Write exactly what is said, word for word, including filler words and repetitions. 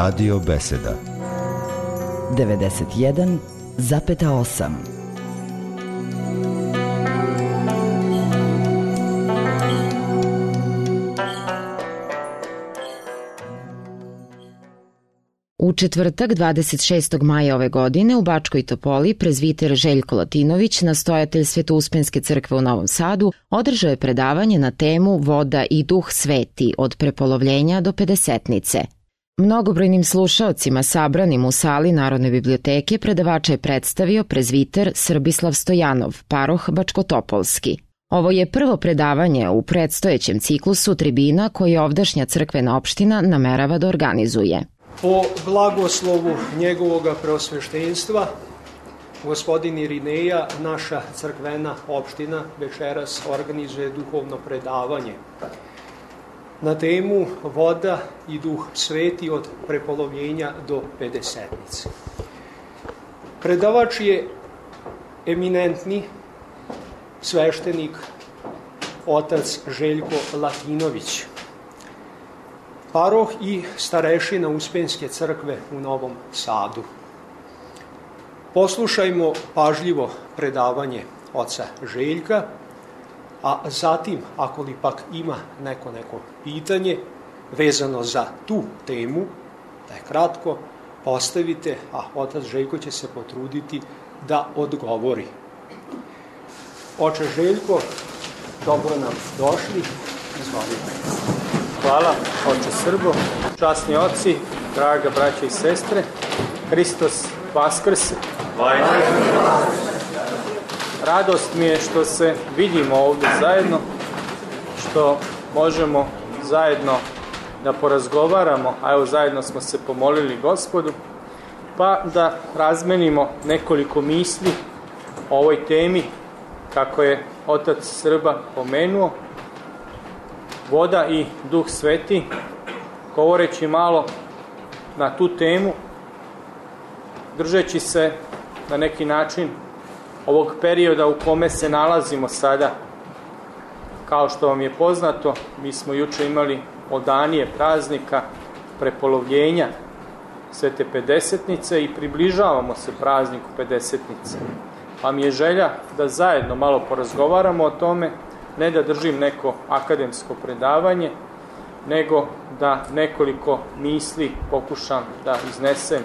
Radio Beseda devedeset jedan zarez osam. U četvrtak, dvadeset šestog maja ove godine, u Bačkoj Topoli, prezviter Željko Latinović, nastojatelj Svetouspenske crkve u Novom Sadu, održao je predavanje na temu Voda i Duh Sveti od prepolovljenja do pedesetnice. Mnogobrojnim slušaocima sabranim u sali Narodne biblioteke predavača je predstavio prezviter Srbislav Stojanov, paroh Bačkotopolski. Ovo je prvo predavanje u predstojećem ciklusu tribina koje ovdašnja crkvena opština namerava da organizuje. Po blagoslovu njegovoga preosveštenstva, gospodin Irineja, naša crkvena opština večeras organizuje duhovno predavanje na temu Voda i Duh Sveti od prepolovljenja do pedesetnice. Predavač je eminentni sveštenik otac Željko Latinović, paroh i starešina Uspenske crkve u Novom Sadu. Poslušajmo pažljivo predavanje oca Željka, a zatim, ako li pak ima neko neko pitanje vezano za tu temu, da je kratko postavite, a otac Željko će se potruditi da odgovori. Oče Željko, dobro nam došli, izvolite. Hvala, oče Srbo, časni oci, draga braća i sestre, Hristos Vaskrse. Radost mi je što se vidimo ovdje zajedno, što možemo zajedno da porazgovaramo, a evo zajedno smo se pomolili Gospodu, pa da razmenimo nekoliko misli o ovoj temi, kako je otac Srba pomenuo, Voda i Duh Sveti, govoreći malo na tu temu, držeći se na neki način ovog perioda u kome se nalazimo sada. Kao što vam je poznato, mi smo juče imali odanije praznika prepolovljenja Svete Pedesetnice i približavamo se prazniku Pedesetnice. Pa mi je želja da zajedno malo porazgovaramo o tome, ne da držim neko akademsko predavanje, nego da nekoliko misli pokušam da iznesem